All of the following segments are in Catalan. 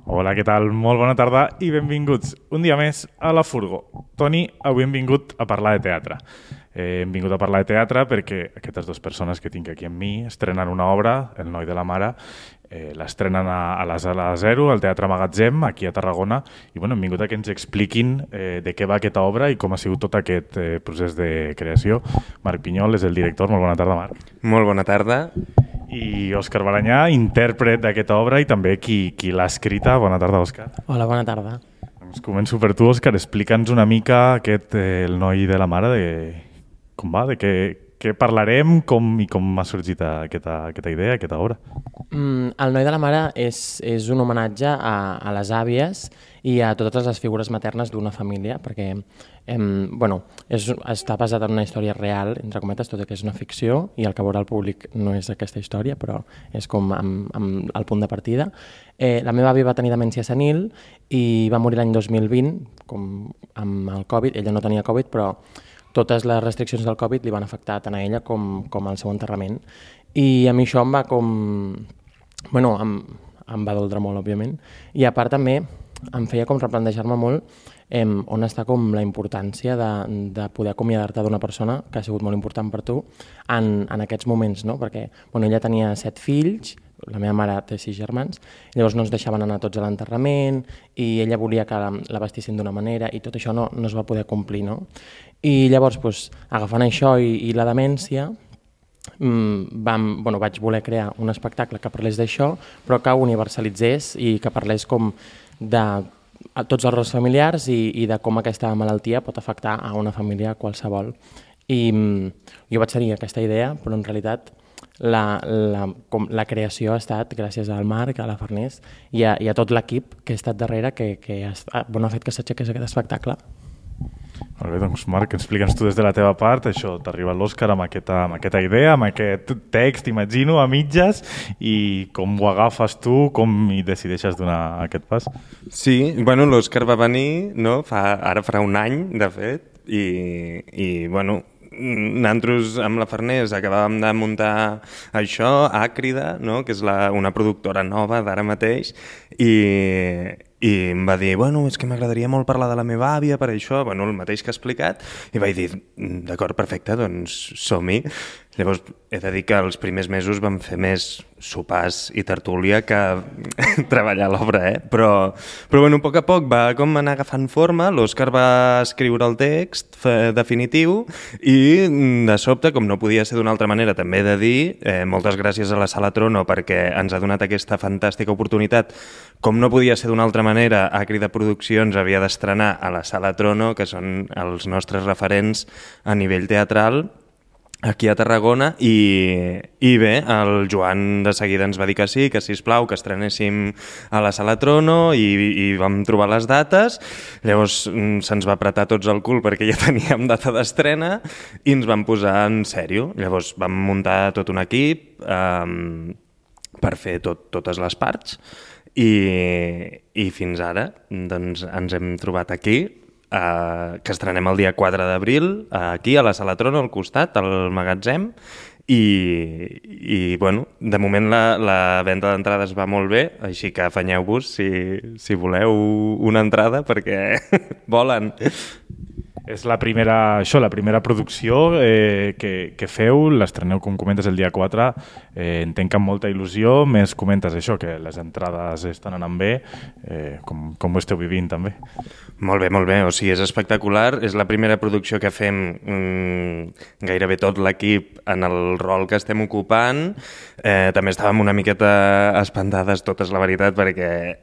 Hola, què tal? Molt bona tarda i benvinguts un dia més a La Furgo. Toni, avui hem vingut a parlar de teatre. Hem vingut a parlar de teatre perquè aquestes dues persones que tinc aquí amb mi estrenen una obra, El noi de la mare, l'estrenen a la Sala Zero, al Teatre Magatzem, aquí a Tarragona, i hem vingut a que ens expliquin de què va aquesta obra i com ha sigut tot aquest procés de creació. Marc Pinyol és el director. Molt bona tarda, Marc. Molt bona tarda. I Òscar Balanyà, intèrpret d'aquesta obra i també qui l'ha escrita. Bona tarda, Òscar. Hola, bona tarda. Doncs començo per tu, Òscar. Explica'ns una mica El noi de la mare, de com va, de què parlarem i com ha sorgit aquesta idea, aquesta obra. El noi de la mare és un homenatge a les àvies i a totes les figures maternes d'una família, perquè està basat en una història real, entre cometes, tot i que és una ficció, i el que veurà el públic no és aquesta història, però és com amb el punt de partida. La meva àvia va tenir demència senil i va morir l'any 2020, com amb el Covid. Ella no tenia Covid, però totes les restriccions del Covid li van afectar tant a ella com al seu enterrament. I a mi això em va em va doldre molt, òbviament. I a part també em feia com replantejar-me molt on està com la importància de poder acomiadar-te d'una persona que ha sigut molt important per tu en aquests moments, no? Perquè ella tenia 7 fills, la meva mare té 6 germans, llavors no ens deixaven anar tots a l'enterrament i ella volia que la vestissin d'una manera i tot això no es va poder complir, no? I llavors, agafant això i la demència, vaig voler crear un espectacle que parlés d'això, però que universalitzés i que parlés com de tots els rols familiars i de com aquesta malaltia pot afectar a una família qualsevol. I jo vaig tenir aquesta idea, però en realitat la creació ha estat gràcies al Marc, a la Farners i a tot l'equip que ha estat darrere que ha fet que s'aixequés aquest espectacle. Molt bé, doncs Marc, explica'ns tu des de la teva part, això, t'arriba l'Òscar amb aquesta idea, amb aquest text, imagino, a mitges, i com ho agafes tu, com hi decideixes donar aquest pas? Sí, l'Òscar va venir, no? Ara farà un any, de fet, i nosaltres amb la Farners acabàvem de muntar això, Àcrida, no? Que és una productora nova d'ara mateix, i em va dir, és que m'agradaria molt parlar de la meva àvia per això, el mateix que ha explicat, i vaig dir, d'acord, perfecte, doncs som-hi. Llavors, he de dir que els primers mesos vam fer més sopars i tertúlia que treballar a l'obra, Però a poc a poc va com anar agafant forma, l'Òscar va escriure el text definitiu i de sobte, com no podia ser d'una altra manera, també he de dir, moltes gràcies a la Sala Trono perquè ens ha donat aquesta fantàstica oportunitat. Com no podia ser d'una altra manera, Àcrida Produccions havia d'estrenar a la Sala Trono, que són els nostres referents a nivell teatral, aquí a Tarragona, i bé, el Joan de seguida ens va dir que sí, que sisplau, que estrenéssim a la Sala Trono i vam trobar les dates. Llavors se'ns va apretar tots el cul perquè ja teníem data d'estrena i ens vam posar en sèrio. Llavors vam muntar tot un equip per fer totes les parts i fins ara doncs, ens hem trobat aquí, que estrenem el dia 4 d'abril, aquí a la Sala Trono, al costat, al Magatzem, i de moment la venda d'entrades va molt bé, així que afanyeu-vos si voleu una entrada perquè volen. És la primera producció que feu, l'estreneu, com comentes, el dia 4. Entenc que amb molta il·lusió, més comentes això, que les entrades estan anant bé. Com ho esteu vivint, també? Molt bé. O sigui, és espectacular. És la primera producció que fem gairebé tot l'equip en el rol que estem ocupant. També estàvem una miqueta espantades, totes, la veritat, perquè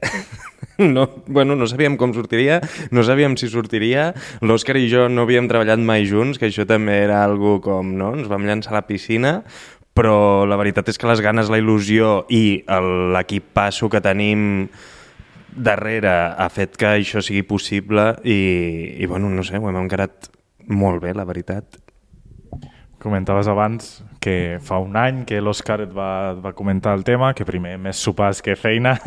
no sabíem com sortiria, no sabíem si sortiria. L'Òscar i jo no havíem treballat mai junts, que això també era algo com, no? Ens vam llançar a la piscina, però la veritat és que les ganes, la il·lusió i l'equip passo que tenim darrere ha fet que això sigui possible i no sé, ho hem encarat molt bé, la veritat. Comentaves abans que fa un any que l'Òscar et va comentar el tema, que primer més sopars que feina,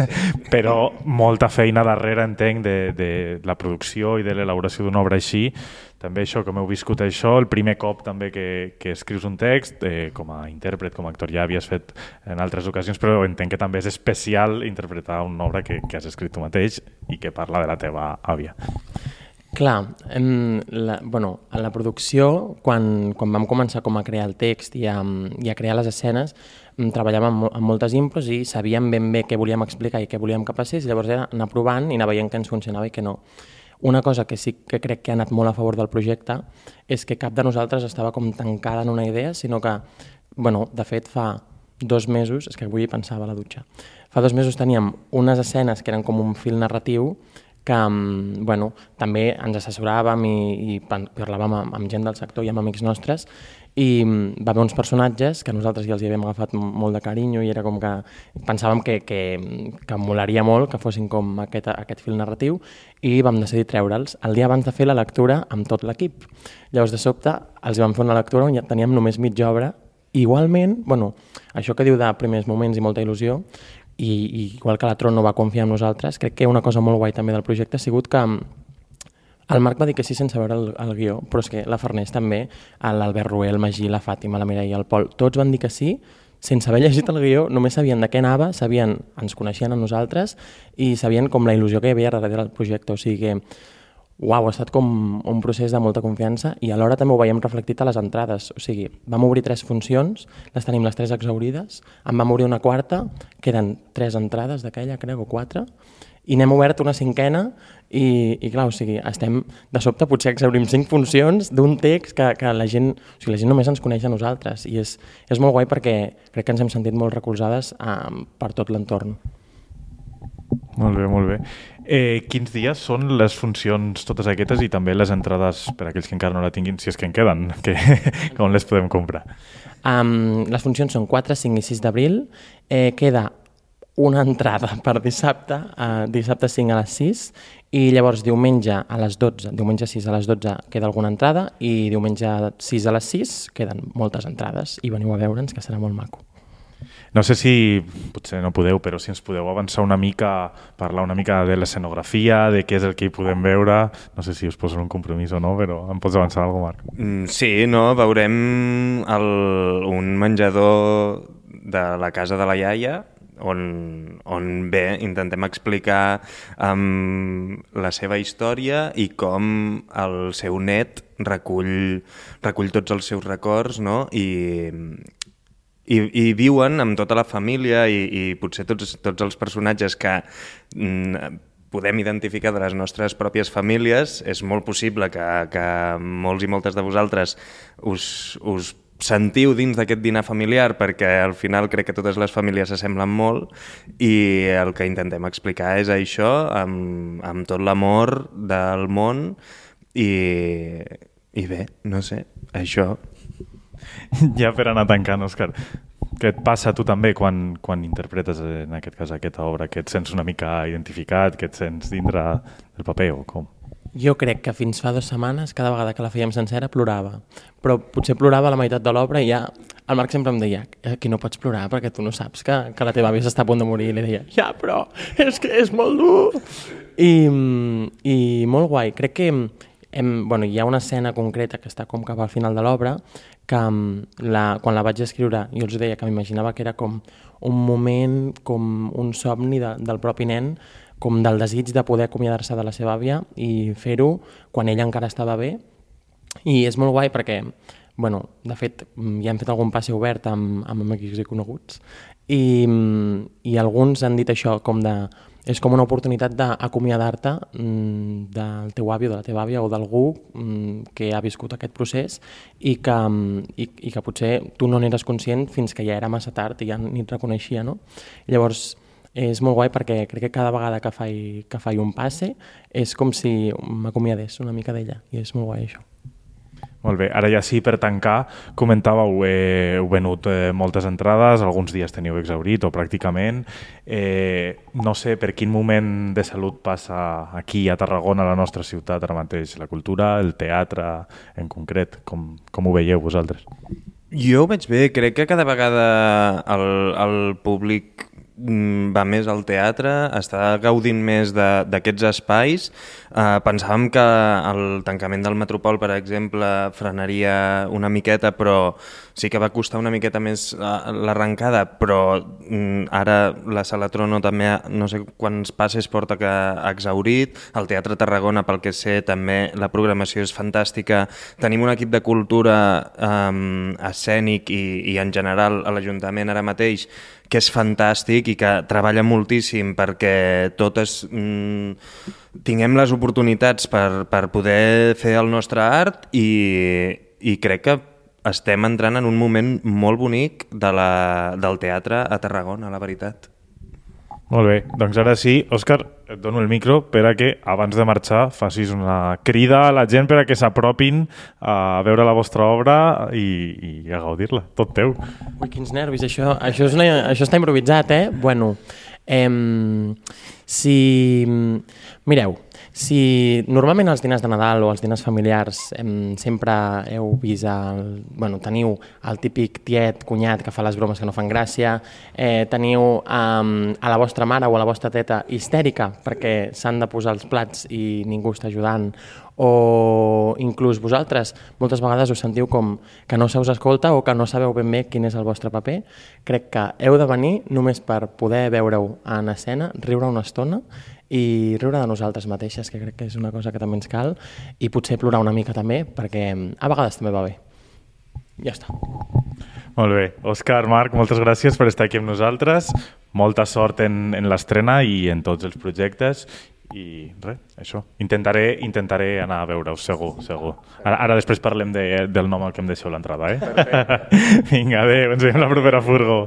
però molta feina darrere, entenc, de la producció i de l'elaboració d'una obra així. També això, com heu viscut això, el primer cop també que escrius un text, com a intèrpret, com a actor, ja havies fet en altres ocasions, però entenc que també és especial interpretar una obra que has escrit tu mateix i que parla de la teva àvia. Clar, en la producció, quan vam començar com a crear el text i a crear les escenes, treballàvem amb moltes impros i sabíem ben bé què volíem explicar i què volíem que passés, llavors era anar provant i anar veient què ens funcionava i què no. Una cosa que sí que crec que ha anat molt a favor del projecte és que cap de nosaltres estava com tancada en una idea, sinó que, de fet, fa 2 mesos, és que avui pensava a la dutxa, fa 2 mesos teníem unes escenes que eren com un fil narratiu que també ens assessoràvem i parlàvem amb gent del sector i amb amics nostres i va haver uns personatges que nosaltres ja els hi havíem agafat molt de carinyo i era com que pensàvem que molaria molt que fossin com aquest fil narratiu i vam decidir treure'ls el dia abans de fer la lectura amb tot l'equip. Llavors, de sobte, els vam fer una lectura on ja teníem només mitja obra. Igualment, això que diu de primers moments i molta il·lusió, i igual que la Tron no va confiar en nosaltres, crec que una cosa molt guai també del projecte ha sigut que el Marc va dir que sí sense veure el guió, però és que la Farners també, l'Albert Rué, el Magí, la Fàtima, la Mireia, el Pol, tots van dir que sí, sense haver llegit el guió, només sabien de què anava, ens coneixien a nosaltres i sabien com la il·lusió que hi havia darrere del projecte, o sigui que ha estat com un procés de molta confiança i alhora també ho veiem reflectit a les entrades. O sigui, vam obrir 3 funcions, les tenim les 3 exaurides, en vam obrir una quarta, queden 3 entrades d'aquella, crec, o 4, i n'hem obert una 5a i clar, o sigui, estem de sobte potser exaurim 5 funcions d'un text que la gent només ens coneix a nosaltres i és molt guai perquè crec que ens hem sentit molt recolzades per tot l'entorn. Molt bé, molt bé. Quins dies són les funcions totes aquestes i també les entrades per a aquells que encara no la tinguin, si és que en queden, on les podem comprar? Les funcions són 4, 5 i 6 d'abril. Queda una entrada per dissabte 5 a les 6 i llavors diumenge 6 a les 12 queda alguna entrada i diumenge 6 a les 6 queden moltes entrades i veniu a veure'ns que serà molt maco. No sé si, potser no podeu, però si ens podeu avançar una mica, parlar una mica de l'escenografia, de què és el que hi podem veure. No sé si us poso un compromís o no, però em pots avançar alguna cosa, Marc? Sí, veurem un menjador de la casa de la iaia, on intentem explicar la seva història i com el seu net recull tots els seus records, no? I viuen amb tota la família i potser tots els personatges que podem identificar de les nostres pròpies famílies. És molt possible que molts i moltes de vosaltres us sentiu dins d'aquest dinar familiar perquè al final crec que totes les famílies s'assemblen molt i el que intentem explicar és això amb tot l'amor del món i bé, no sé, això. Ja per anar tancant, Òscar, què et passa a tu també quan interpretes en aquest cas aquesta obra? Que et sents una mica identificat, que et sents dintre del paper o com? Jo crec que fins fa 2 setmanes, cada vegada que la fèiem sencera, plorava. Però potser plorava a la meitat de l'obra i ja el Marc sempre em deia aquí no pots plorar perquè tu no saps que la teva àvia s'està a punt de morir. I li deia, ja, però és que és molt dur. I molt guai. Crec que hi ha una escena concreta que està com cap al final de l'obra que quan la vaig escriure jo els deia que m'imaginava que era com un moment, com un somni del propi nen, com del desig de poder acomiadar-se de la seva àvia i fer-ho quan ella encara estava bé. I és molt guai perquè, de fet, ja hem fet algun passe obert amb amics i coneguts i alguns han dit això, és com una oportunitat d'acomiadar-te del teu avi o de la teva àvia o d'algú que ha viscut aquest procés i que potser tu no n'eres conscient fins que ja era massa tard i ja ni et reconeixia, no? Llavors, és molt guai perquè crec que cada vegada que faig un passe és com si m'acomiadés una mica d'ella i és molt guai això. Molt bé, ara ja sí, per tancar, comentàveu, heu venut moltes entrades, alguns dies teniu exhaurit o pràcticament. No sé per quin moment de salut passa aquí a Tarragona, a la nostra ciutat, ara mateix, la cultura, el teatre en concret, com ho veieu vosaltres? Jo ho veig bé, crec que cada vegada el públic va més al teatre, està gaudint més d'aquests espais. Pensàvem que el tancament del Metropol, per exemple, frenaria una miqueta, però sí que va costar una miqueta més l'arrencada, però ara la Sala Trono també, no sé quants passes porta que ha exhaurit, el Teatre Tarragona, pel que sé, també la programació és fantàstica, tenim un equip de cultura escènic i en general a l'Ajuntament ara mateix que és fantàstic i que treballa moltíssim perquè totes tinguem les oportunitats per poder fer el nostre art i crec que estem entrant en un moment molt bonic del teatre a Tarragona, la veritat. Molt bé, doncs ara sí, Òscar, et dono el micro per a que abans de marxar facis una crida a la gent per a que s'apropin a veure la vostra obra i a gaudir-la, tot teu. Ui, quins nervis, això està improvisat, eh? Bueno, mireu, si normalment els diners de Nadal o els diners familiars sempre heu vist teniu el típic tiet, cunyat que fa les bromes que no fan gràcia, teniu a la vostra mare o a la vostra teta histèrica perquè s'han de posar els plats i ningú està ajudant, o inclús vosaltres moltes vegades us sentiu com que no se us escolta o que no sabeu ben bé quin és el vostre paper, crec que heu de venir només per poder veure-ho en escena, riure una estona i riure de nosaltres mateixes, que crec que és una cosa que també ens cal, i potser plorar una mica també, perquè a vegades també va bé. Ja està. Molt bé. Òscar, Marc, moltes gràcies per estar aquí amb nosaltres. Molta sort en l'estrena i en tots els projectes. I res, això. Intentaré anar a veure-us, segur. Ara després parlem del nom al que em deixeu l'entrada, eh? Vinga, adéu, ens veiem la propera furgo.